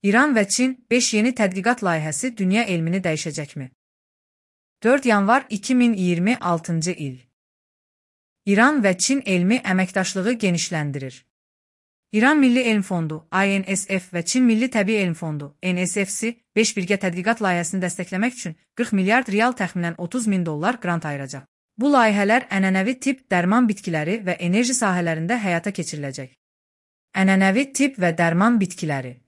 İran və Çin 5 yeni tədqiqat layihəsi dünya elmini dəyişəcəkmi? 4 yanvar 2026 il. İran və Çin elmi əməkdaşlığı genişləndirir. İran Milli Elm Fondu (INSF) və Çin Milli Təbii Elm Fondu (NSF)si 5 birgə tədqiqat layihəsini dəstəkləmək üçün 40 milyard rial təxminən $30.000 qrant ayıracaq. Bu layihələr ənənəvi tibb, dərman bitkiləri və enerji sahələrində həyata keçiriləcək. Ənənəvi tibb və dərman bitkiləri.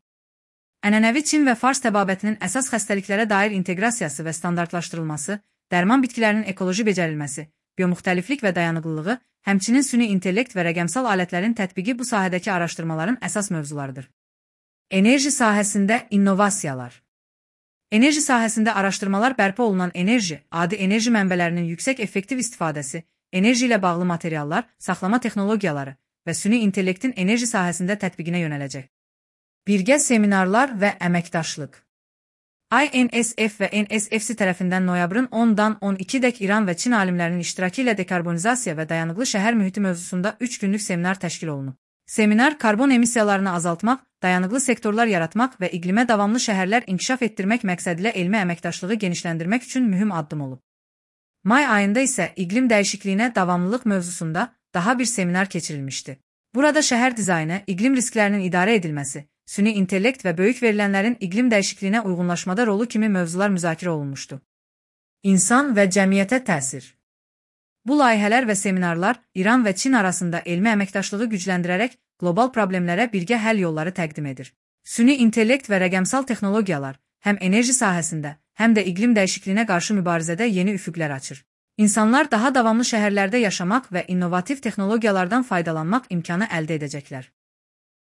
Ənənəvi Çin və Fars təbabətinin əsas xəstəliklərə dair inteqrasiyası və standartlaşdırılması, dərman bitkilərinin ekoloji becərilməsi, biomuxtəliflik və dayanıqlılığı, həmçinin süni intellekt və rəqəmsal alətlərin tətbiqi bu sahədəki araşdırmaların əsas mövzularıdır. Enerji sahəsində innovasiyalar. Enerji sahəsində araşdırmalar bərpa olunan enerji, adi enerji mənbələrinin yüksək effektiv istifadəsi, enerji ilə bağlı materiallar, saxlama texnologiyaları və süni intellektin enerji sahəsində tətbiqinə yönələcək. Birgə seminarlar və əməkdaşlıq. INSF və NSF tərəfindən noyabrın 10-dan 12-dək İran və Çin alimlərinin iştirakı ilə dekarbonizasiya və dayanıqlı şəhər mühiti mövzusunda 3 günlük seminar təşkil olunub. Seminar karbon emissiyalarını azaltmaq, dayanıqlı sektorlar yaratmaq və iqlimə davamlı şəhərlər inkişaf etdirmək məqsədilə elmi əməkdaşlığı genişləndirmək üçün mühüm addım olub. May ayında isə iqlim dəyişikliyinə davamlılıq mövzusunda daha bir seminar keçirilmişdi. Burada şəhər dizaynı, iqlim risklərinin idarə edilməsi, süni intellekt və böyük verilənlərin iqlim dəyişikliyinə uyğunlaşmada rolu kimi mövzular müzakirə olunmuşdu. İnsan və cəmiyyətə təsir. Bu layihələr və seminarlar İran və Çin arasında elmi əməkdaşlığı gücləndirərək qlobal problemlərə birgə həll yolları təqdim edir. Süni intellekt və rəqəmsal texnologiyalar həm enerji sahəsində, həm də iqlim dəyişikliyinə qarşı mübarizədə yeni üfüqlər açır. İnsanlar daha davamlı şəhərlərdə yaşamaq və innovativ texnologiyalardan faydalanmaq imkanı əldə edəcəklər.